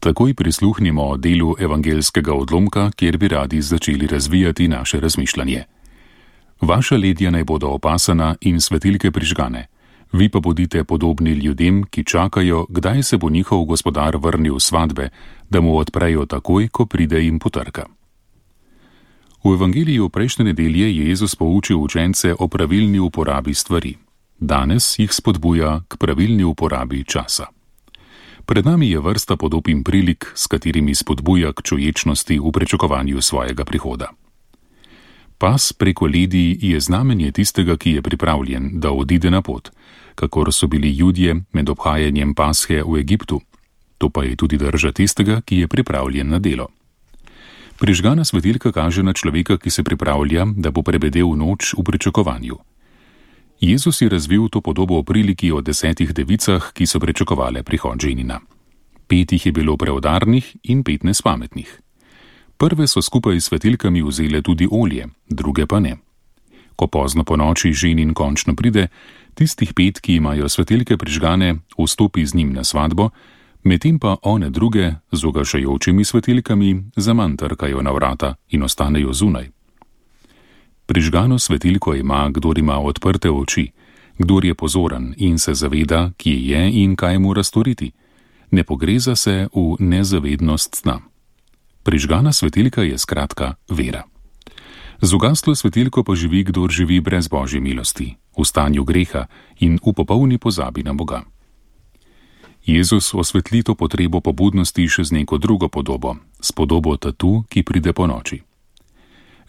Takoj prisluhnimo delu evangelskega odlomka, kjer bi radi začeli razvijati naše razmišljanje. Vaša ledja naj bodo opasana in svetilke prižgane, vi pa bodite podobni ljudem, ki čakajo, kdaj se bo njihov gospodar vrnil s svadbe, da mu odprejo takoj, ko pride in potrka. V evangeliju prejšnje nedelje je Jezus poučil učence o pravilni uporabi stvari. Danes jih spodbuja k pravilni uporabi časa. Pred nami je vrsta podob in prilik, s katerimi spodbuja k čuječnosti v pričakovanju svojega prihoda. Pas preko ledij je znamenje tistega, ki je pripravljen, da odide na pot, kakor so bili Judje med obhajanjem Pashe v Egiptu. To pa je tudi drža tistega, ki je pripravljen na delo. Prižgana svetilka kaže na človeka, ki se pripravlja, da bo prebedel noč v pričakovanju. Jezus je razvil to podobo o priliki o 10 devicah, ki so pričakovale prihod ženina. 5 jih je bilo preudarnih in 15 pametnih. Prve so skupaj s svetilkami vzele tudi olje, druge pa ne. Ko pozno po noči ženin končno pride, tistih 5, ki imajo svetilke prižgane, vstopi z njim na svadbo, medtem pa one druge z ugašajočimi svetilkami zaman trkajo na vrata in ostanejo zunaj. Prižgano svetilko ima, kdor ima odprte oči, kdor je pozoren in se zaveda, kje je in kaj mora storiti. Ne pogreza se v nezavednost sna. Prižgana svetilka je skratka vera. Z ugaslo svetilko pa živi, kdor živi brez Božje milosti, v stanju greha in v popolni pozabi na Boga. Jezus osvetli to potrebo po budnosti še z neko drugo podobo, s podobo tatu, ki pride po noči.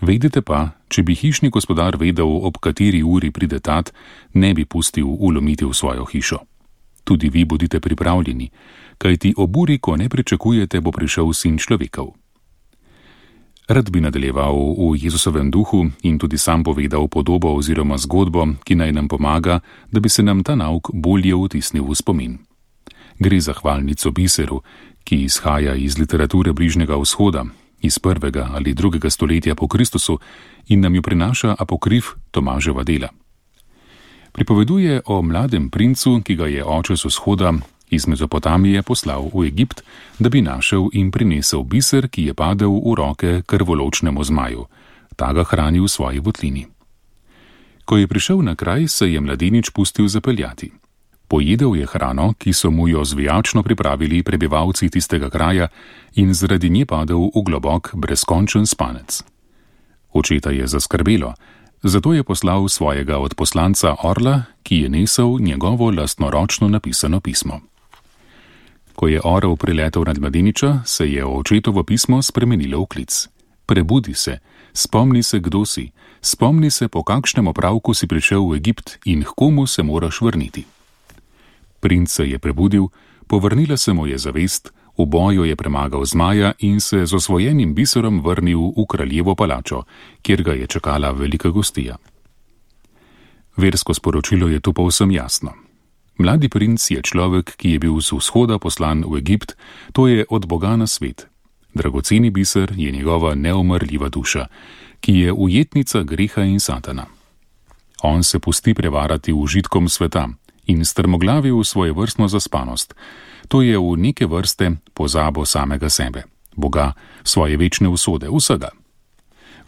Vedite pa, če bi hišni gospodar vedel, ob kateri uri pride tat, ne bi pustil vlomiti v svojo hišo. Tudi vi bodite pripravljeni, kajti ob uri, ko ne pričakujete, bo prišel Sin človekov. Rad bi nadaljeval v Jezusovem duhu in tudi sam povedal podobo oziroma zgodbo, ki naj nam pomaga, da bi se nam ta nauk bolje vtisnil v spomin. Gre za hvalnico biseru, ki izhaja iz literature Bližnjega vzhoda, iz 1. ali 2. stoletja po Kristusu in nam jo prinaša apokrif Tomaževa dela. Pripoveduje o mladem princu, ki ga je oče z vzhoda iz Mezopotamije poslal v Egipt, da bi našel in prinesel biser, ki je padel v roke krvoločnemu zmaju. Ta ga hrani v svoji votlini. Ko je prišel na kraj, se je mladenič pustil zapeljati. Pojedel je hrano, ki so mu jo zvijačno pripravili prebivalci tistega kraja in zaradi nje padel v globok, brezkončen spanec. Očeta je zaskrbelo, zato je poslal svojega odposlanca orla, ki je nesel njegovo lastnoročno napisano pismo. Ko je orel priletel nad mladeniča, se je očetovo pismo spremenilo v klic. Prebudi se, spomni se, kdo si, spomni se, po kakšnem opravku si prišel v Egipt in h komu se moraš vrniti. Princ se je prebudil, povrnila se mu je zavest, v boju je premagal zmaja in se z osvojenim biserom vrnil v kraljevo palačo, kjer ga je čakala velika gostija. Versko sporočilo je tu povsem jasno. Mladi princ je človek, ki je bil z vzhoda poslan v Egipt, to je od Boga na svet. Dragoceni biser je njegova neumrljiva duša, ki je ujetnica greha in satana. On se pusti prevarati užitkom sveta in strmoglavi v svojevrstno zaspanost, to je v neke vrste pozabo samega sebe, Boga, svoje večne usode, vsega.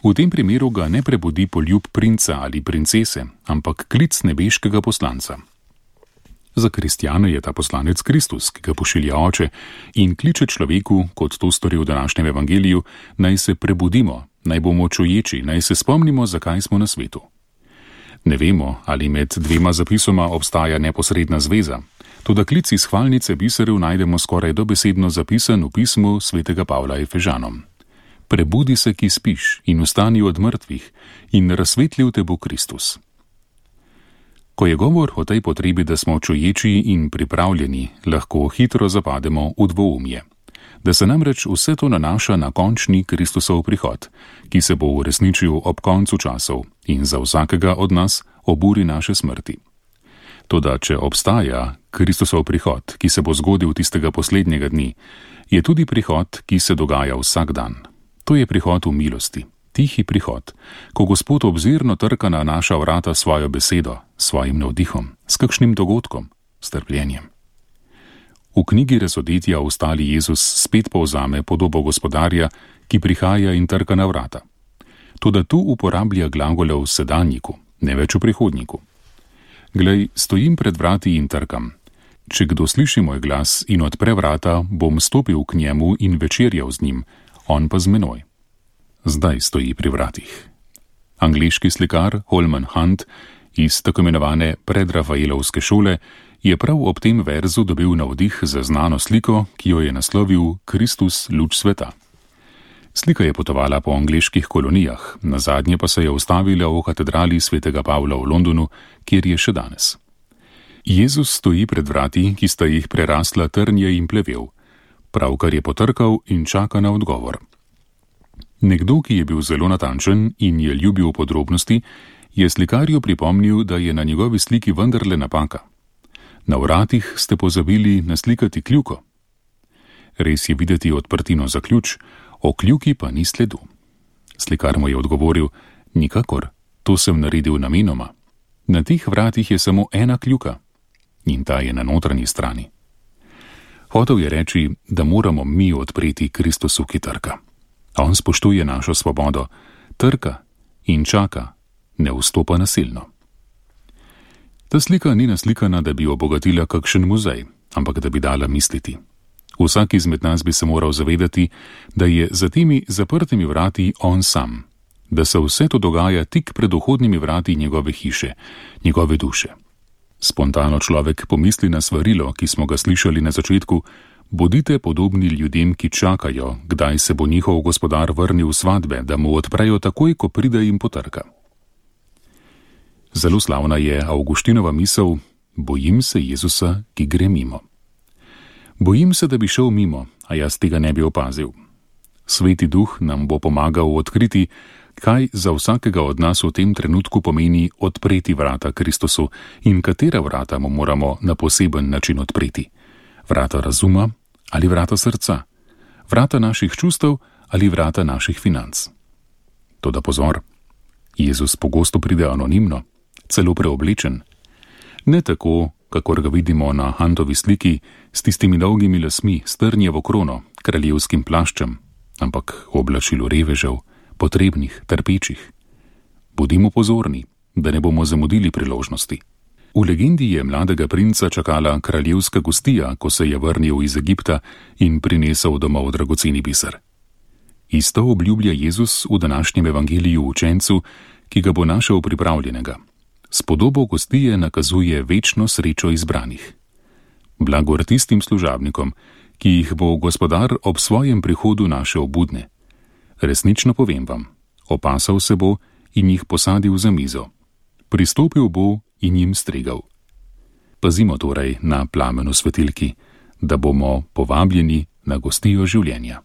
V tem primeru ga ne prebudi poljub princa ali princese, ampak klic nebeškega poslanca. Za kristjane je ta poslanec Kristus, ki ga pošilja oče in kliče človeku, kot to stori v današnjem evangeliju, naj se prebudimo, naj bomo čuječi, naj se spomnimo, zakaj smo na svetu. Ne vemo, ali med dvema zapisoma obstaja neposredna zveza, toda klic iz hvalnice biserjev najdemo skoraj dobesedno zapisan v pismu svetega Pavla Efežanom. Prebudi se, ki spiš, in vstani od mrtvih, in razsvetlil te bo Kristus. Ko je govor o tej potrebi, da smo čuječi in pripravljeni, lahko hitro zapademo v dvoumje. Da se namreč vse to nanaša na končni Kristusov prihod, ki se bo uresničil ob koncu časov in za vsakega od nas ob uri naše smrti. Toda, če obstaja Kristusov prihod, ki se bo zgodil tistega poslednjega dni, je tudi prihod, ki se dogaja vsak dan. To je prihod v milosti, tihi prihod, ko Gospod obzirno trka na naša vrata svojo besedo, svojim navdihom, s kakšnim dogodkom, s trpljenjem. V knjigi Razodetja ostali Jezus spet povzame podobo gospodarja, ki prihaja in trka na vrata. Toda tu uporablja glagole v sedanjiku, ne več v prihodnjiku. Glej, stojim pred vrati in trkam. Če kdo sliši moj glas in odpre vrata, bom stopil k njemu in večerjal z njim, on pa z menoj. Zdaj stoji pri vratih. Angleški slikar Holman Hunt iz tako imenovane predrafaelovske šole je prav ob tem verzu dobil navdih za znano sliko, ki jo je naslovil Kristus, luč sveta. Slika je potovala po angleških kolonijah, nazadnje pa se je ustavila v katedrali svetega Pavla v Londonu, kjer je še danes. Jezus stoji pred vrati, ki sta jih prerasla trnje in plevel. Pravkar je potrkal in čaka na odgovor. Nekdo, ki je bil zelo natančen in je ljubil podrobnosti, je slikarju pripomnil, da je na njegovi sliki vendarle napaka. Na vratih ste pozabili naslikati kljuko. Res je videti odprtino za ključ, o kljuki pa ni sledu. Slikar mu je odgovoril: nikakor, to sem naredil namenoma. Na teh vratih je samo ena kljuka in ta je na notranji strani. Hotel je reči, da moramo mi odpreti Kristusu, ki trka. On spoštuje našo svobodo, trka in čaka, ne vstopa nasilno. Ta slika ni naslikana, da bi obogatila kakšen muzej, ampak da bi dala misliti. Vsak izmed nas bi se moral zavedati, da je za temi zaprtimi vrati on sam, da se vse to dogaja tik pred vhodnimi vrati njegove hiše, njegove duše. Spontano človek pomisli na svarilo, ki smo ga slišali na začetku: bodite podobni ljudem, ki čakajo, kdaj se bo njihov gospodar vrnil v svatbe, da mu odprejo takoj, ko pride in potrka. Zelo slavna je Avguštinova misel: bojim se Jezusa, ki gre mimo. Bojim se, da bi šel mimo, a jaz tega ne bi opazil. Sveti duh nam bo pomagal odkriti, kaj za vsakega od nas v tem trenutku pomeni odpreti vrata Kristusu in katera vrata mu moramo na poseben način odpreti. Vrata razuma ali vrata srca, vrata naših čustev ali vrata naših financ. Toda pozor, Jezus pogosto pride anonimno, celo preoblečen. Ne tako, kakor ga vidimo na Huntovi sliki, s tistimi dolgimi lasmi, s trnjevo krono, kraljevskim plaščem, ampak v oblačilu revežev, potrebnih, trpečih. Bodimo pozorni, da ne bomo zamudili priložnosti. V legendi je mladega princa čakala kraljevska gostija, ko se je vrnil iz Egipta in prinesel domov dragoceni biser. Isto obljublja Jezus v današnjem evangeliju učencu, ki ga bo našel pripravljenega. S podobo gostije nakazuje večno srečo izbranih. Blagor tistim služabnikom, ki jih bo gospodar ob svojem prihodu našel budne. Resnično povem vam, opasal se bo in jih posadil za mizo. Pristopil bo in jim stregal. Pazimo torej na plamenu svetilki, da bomo povabljeni na gostijo življenja.